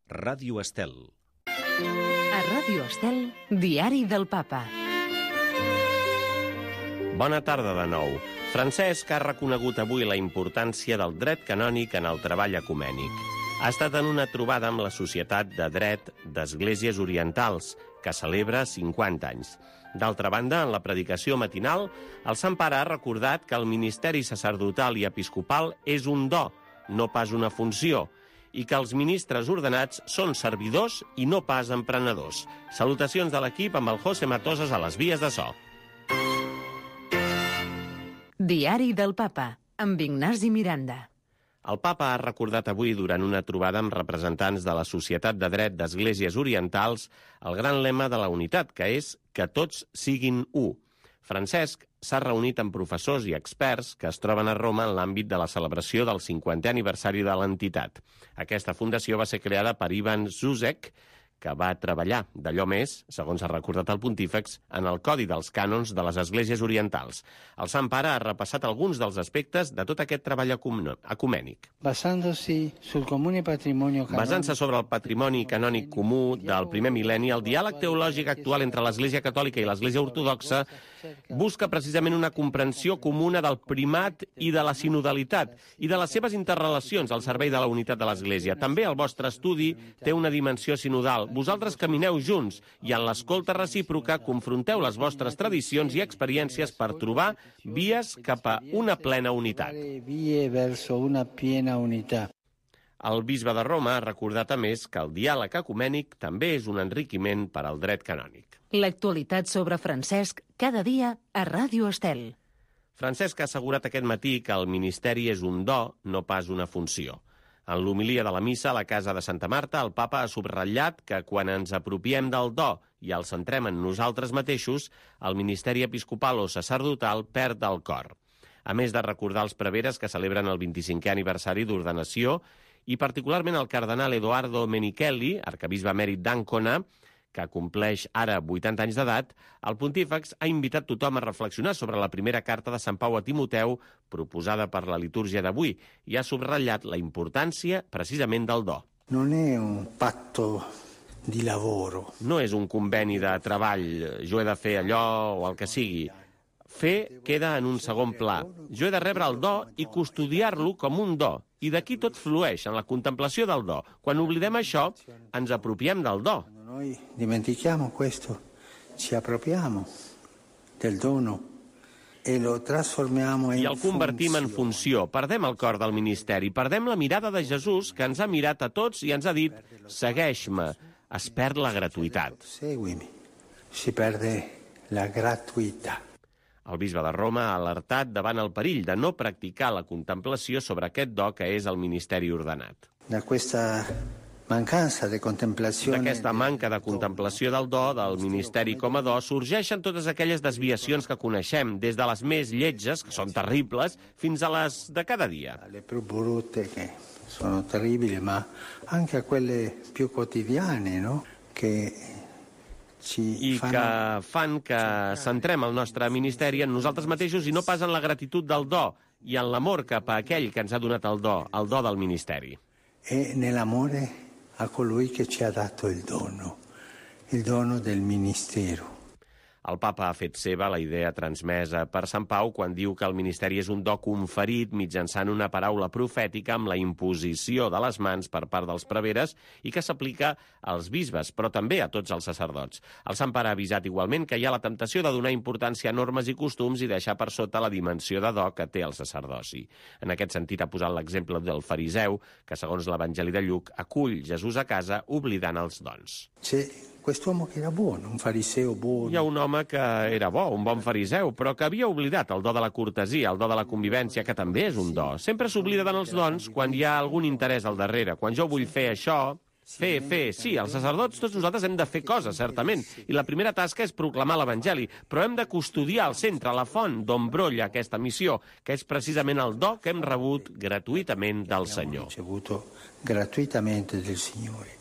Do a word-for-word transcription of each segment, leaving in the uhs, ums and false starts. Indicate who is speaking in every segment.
Speaker 1: Ràdio Estel.
Speaker 2: A Ràdio Estel, Diari del Papa.
Speaker 3: Bona tarda de nou. Francesc ha reconegut avui la importància del dret canònic en el treball ecumènic. Ha estat en una trobada amb la Societat de Dret d'Esglésies Orientals, que celebra cinquanta anys. D'altra banda, en la predicació matinal, el Sant Pare ha recordat que el ministeri sacerdotal i episcopal és un do, no pas una funció, i que els ministres ordenats són servidors i no pas emprenedors. Salutacions de l'equip amb el José Matosas a les vies de so.
Speaker 2: Diari del Papa, amb Ignasi Miranda.
Speaker 3: El Papa ha recordat avui, durant una trobada amb representants de la Societat de Dret d'Esglésies Orientals, el gran lema de la unitat, que és que tots siguin u. Francesc s'ha reunit amb professors i experts que es troben a Roma en l'àmbit de la celebració del cinquantè aniversari de l'entitat. Aquesta fundació va ser creada per Ivan Zuzek, que va treballar d'allò més, segons ha recordat el pontífex, en el Codi dels Cànons de les Esglésies Orientals. El Sant Pare ha repassat alguns dels aspectes de tot aquest treball ecumènic.
Speaker 4: Basant-se
Speaker 3: sobre el patrimoni canònic comú del primer mil·lenni, el diàleg teològic actual entre l'Església Catòlica i l'Església Ortodoxa busca precisament una comprensió comuna del primat i de la sinodalitat i de les seves interrelacions al servei de la unitat de l'Església. També el vostre estudi té una dimensió sinodal. Vosaltres camineu junts i en l'escolta recíproca confronteu les vostres tradicions i experiències per trobar vies cap a una plena unitat. El bisbe de Roma ha recordat a més que el diàleg ecumènic també és un enriquiment per al dret canònic.
Speaker 2: L'actualitat sobre Francesc cada dia a Ràdio Estel.
Speaker 3: Francesc ha assegurat aquest matí que el ministeri és un do, no pas una funció. En l'homilia de la missa a la casa de Santa Marta, el papa ha subratllat que quan ens apropiem del do i el centrem en nosaltres mateixos, el ministeri episcopal o sacerdotal perd el cor. A més de recordar els preveres que celebren el vint-i-cinquè aniversari d'ordenació i particularment el cardenal Edoardo Menichelli, arcabisbe emèrit d'Ancona, que compleix ara vuitanta anys d'edat, el pontífex ha invitat tothom a reflexionar sobre la primera carta de Sant Pau a Timoteu proposada per la litúrgia d'avui i ha subratllat la importància precisament del do.
Speaker 4: No è un patto di lavoro.
Speaker 3: No és un conveni de treball, jo he de fer allò o el que sigui. Fer queda en un segon pla. Jo he de rebre el do i custodiar-lo com un do. I d'aquí tot flueix, en la contemplació del do. Quan oblidem això, ens apropiem del do.
Speaker 4: Noi dimentichiamo questo, ci appropriamo del dono e lo trasformiamo in
Speaker 3: I el convertim en funció. Perdem el cor del ministeri, perdem la mirada de Jesús, que ens ha mirat a tots i ens ha dit «Segueix-me». Es perd la gratuïtat.
Speaker 4: Seguimi. Si perde la gratuïtat.
Speaker 3: El bisbe de Roma ha alertat davant el perill de no practicar la contemplació sobre aquest do que és el ministeri ordenat.
Speaker 4: Da questa mancanza de contemplazione...
Speaker 3: D'aquesta manca de contemplació del do, del ministeri com a do, sorgeixen totes aquelles desviacions que coneixem, des de les més lletges, que són terribles, fins a les de cada dia.
Speaker 4: Le più brutte, che sono terribili, ma anche a quelle più quotidiane, no? Che...
Speaker 3: i que fan que centrem el nostre ministeri en nosaltres mateixos i no pas en la gratitud del do i en l'amor cap a aquell que ens ha donat el do, el do del ministeri.
Speaker 4: E nell'amore a colui che ci ha dato il dono, il dono del ministero.
Speaker 3: El papa ha fet seva la idea transmesa per Sant Pau quan diu que el ministeri és un do conferit mitjançant una paraula profètica amb la imposició de les mans per part dels preveres i que s'aplica als bisbes, però també a tots els sacerdots. El Sant Pare ha avisat igualment que hi ha la temptació de donar importància a normes i costums i deixar per sota la dimensió de do que té el sacerdoci. En aquest sentit ha posat l'exemple del fariseu, que segons l'Evangeli de Lluc acull Jesús a casa oblidant els dons.
Speaker 4: C'è quest'uomo che era buono, un fariseo buono.
Speaker 3: Hi ha un home que era bo, un bon fariseu, però que havia oblidat el do de la cortesia, el do de la convivència, que també és un do. Sempre s'oblida dels dons quan hi ha algun interès al darrere. Quan jo vull fer això, fer, fer, sí, els sacerdots, tots nosaltres hem de fer coses, certament, i la primera tasca és proclamar l'Evangeli, però hem de custodiar al centre, la font d'on brolla aquesta missió, que és precisament el do que hem rebut gratuïtament del Senyor.
Speaker 4: Ricevuto gratuitamente del Signore.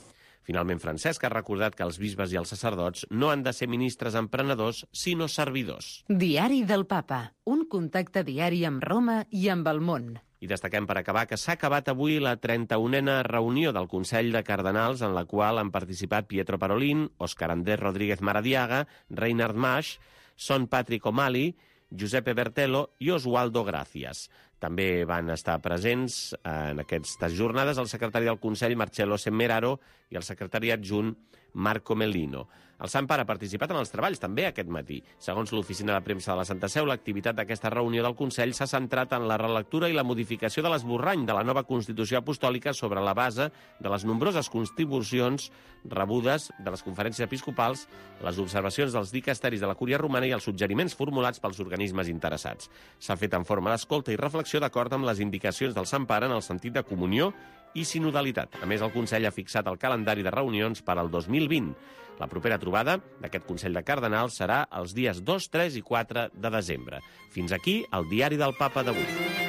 Speaker 3: Finalment, Francesc ha recordat que els bisbes i els sacerdots no han de ser ministres emprenedors, sinó servidors.
Speaker 2: Diari del Papa, un contacte diari amb Roma i amb el món.
Speaker 3: I destaquem per acabar que s'ha acabat avui la trenta-unena reunió del Consell de Cardenals en la qual han participat Pietro Parolin, Óscar Andrés Rodríguez Maradiaga, Reinhard Maasch, Son Patrick O'Malley, Giuseppe Bertello i Oswaldo Gracias. També van estar presents en aquestes jornades el secretari del Consell, Marcello Semmeraro, i el secretari adjunt, Marco Mellino. El Sant Pare ha participat en els treballs també aquest matí. Segons l'oficina de premsa de la Santa Seu, l'activitat d'aquesta reunió del Consell s'ha centrat en la relectura i la modificació de l'esborrany de la nova Constitució Apostòlica sobre la base de les nombroses contribucions rebudes de les conferències episcopals, les observacions dels dicasteris de la Cúria Romana i els suggeriments formulats pels organismes interessats. S'ha fet en forma d'escolta i reflexió d'acord amb les indicacions del Sant Pare en el sentit de comunió i sinodalitat. A més, el Consell ha fixat el calendari de reunions per al dos mil vint. La propera trobada d'aquest Consell de Cardenals serà els dies dos, tres i quatre de desembre. Fins aquí el diari del Papa d'avui.